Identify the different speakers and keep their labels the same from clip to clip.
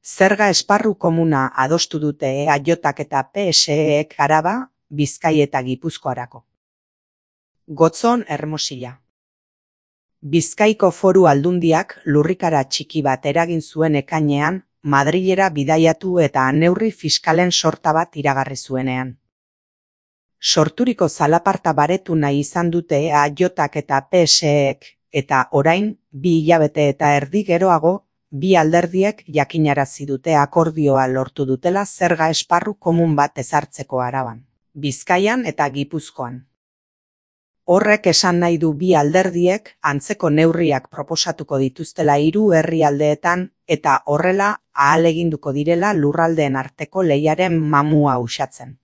Speaker 1: Zerga esparru komuna adostu dute EAJak eta PSEek Araba, Bizkai eta Gipuzkoarako. Gotzon Hermosilla. Bizkaiko Foru Aldundiak lurrikara txiki bat eragin zuen ekainean, Madrilera bidaiatu eta neurri fiskalen sorta bat iragarri zuenean. Sorturiko zalaparta baretu nahi izan dute EAJak eta PSEek, eta orain, 2 hilabete eta erdi geroago, bi alderdiek jakinarazi dute akordioa lortu dutela zerga esparru komun bat ezartzeko Araban, Bizkaian eta Gipuzkoan. Horrek esan nahi du bi alderdiek antzeko neurriak proposatuko dituztela 3 herrialdeetan eta horrela ahaleginduko direla lurraldeen arteko lehiaren mamua uxatzen.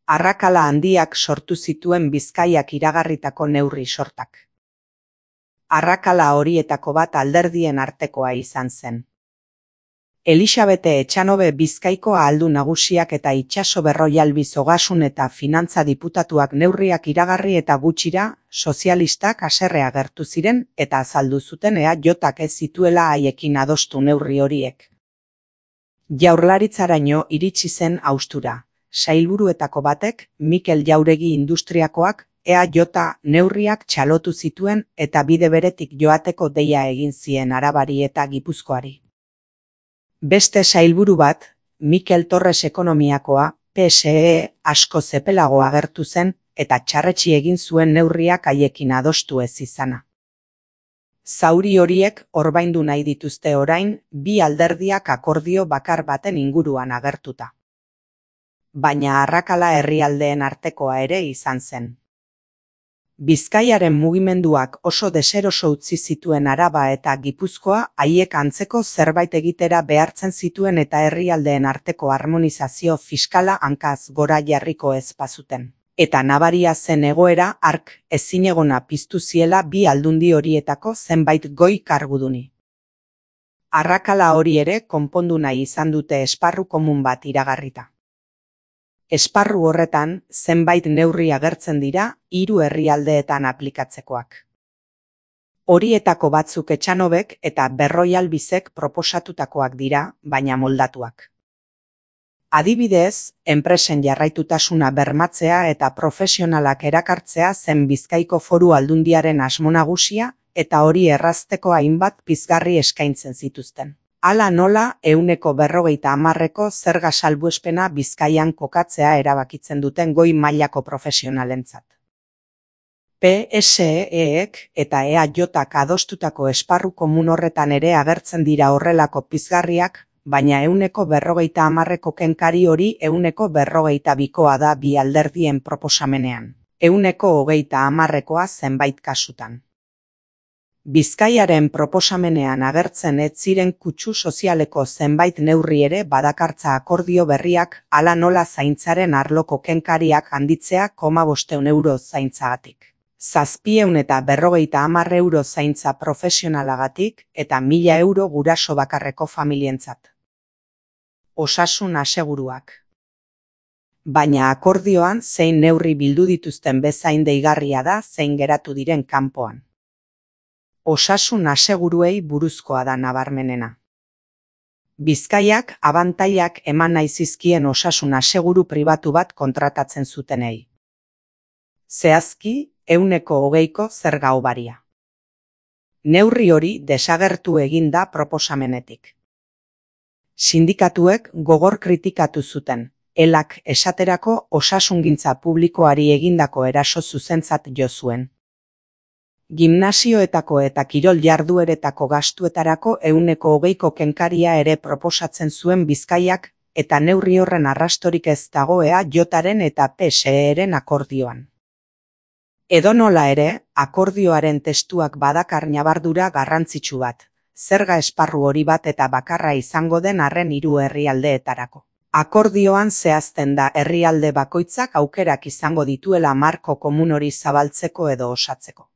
Speaker 1: Arrakala handiak sortu zituen Bizkaiak iragarritako neurri sortak. Arrakala horietako bat alderdien artekoa izan zen. Elisabete Etxanobe Bizkaiko ahaldun nagusiak eta Itxaso Berroialbiz Ogasun eta Finantza diputatuak neurriak iragarri eta gutxira, sozialistak haserre agertu ziren eta azaldu zuten EAJak ez zituela haiekin adostu neurri horiek. Jaurlaritzaraino iritsi zen haustura. Sailburuetako batek, Mikel Jauregi Industriakoak, EAJ neurriak txalotu zituen eta bide beretik joateko deia egin zien Arabari eta Gipuzkoari. Beste sailburu bat, Mikel Torres Ekonomiakoa, PSE asko zepelago agertu zen eta txarretsi egin zuen neurriak haiekin adostu ez izana. Zauri horiek orbaindu nahi dituzte orain, bi alderdiak akordio bakar baten inguruan agertuta. Baina arrakala herrialdeen artekoa ere izan zen. Bizkaiaren mugimenduak oso deseroso utzi zituen Araba eta Gipuzkoa haiek antzeko zerbait egitera behartzen zituen eta herrialdeen arteko harmonizazio fiskala hankaz gora jarriko ez bazuten. Eta nabaria zen egoera hark ezinegona piztu ziela bi aldundi horietako zenbait goi karguduni. Arrakala hori ere konpondu nahi izan dute esparru komun bat iragarrita. Esparru horretan, zenbait neurri agertzen dira 3 herrialdeetan aplikatzekoak. Horietako batzuk Etxanobek eta Berroialbizek proposatutakoak dira, baina moldatuak. Adibidez, enpresen jarraitutasuna bermatzea eta profesionalak erakartzea zen Bizkaiko Foru Aldundiaren asmo nagusia eta hori errazteko hainbat pizgarri eskaintzen zituzten. Hala nola 150% zerga salbuespena Bizkaian kokatzea erabakitzen duten goi mailako profesionalentzat. PSEek eta EAJak adostutako esparru komun horretan ere agertzen dira horrelako pizgarriak, baina 150% kenkari hori 152koa da bi alderdien proposamenean, 130koa zenbait kasutan. Bizkaiaren proposamenean agertzen ez ziren kutsu sozialeko zenbait neurri ere badakartza akordio berriak hala nola zaintzaren arloko kenkariak handitzea 500 euro zaintzagatik. 750 euro zaintza profesionalagatik eta 1000 euro guraso bakarreko familientzat. Osasun aseguruak. Baina akordioan zein neurri bildu dituzten bezain deigarria da zein geratu diren kanpoan. Osasun aseguruei buruzkoa da nabarmenena. Bizkaiak abantailak eman nahi zizkien osasun aseguru pribatu bat kontratatzen zutenei. Zehazki, 120ko zerga hobaria. Neurri hori desagertu egin da proposamenetik. Sindikatuek gogor kritikatu zuten, elak esaterako osasungintza publikoari egindako eraso zuzentzat jo zuen. Gimnasioetako eta kirol jardueretako gastuetarako 120ko kenkaria ere proposatzen zuen Bizkaiak eta neurri horren arrastorik ez dago EAJaren eta PSEren akordioan. Edonola ere, akordioaren testuak badakar ñabardura garrantzitsu bat, zerga esparru hori bat eta bakarra izango den arren 3 herrialdeetarako. Akordioan zehazten da herrialde bakoitzak aukerak izango dituela marko komun hori zabaltzeko edo osatzeko.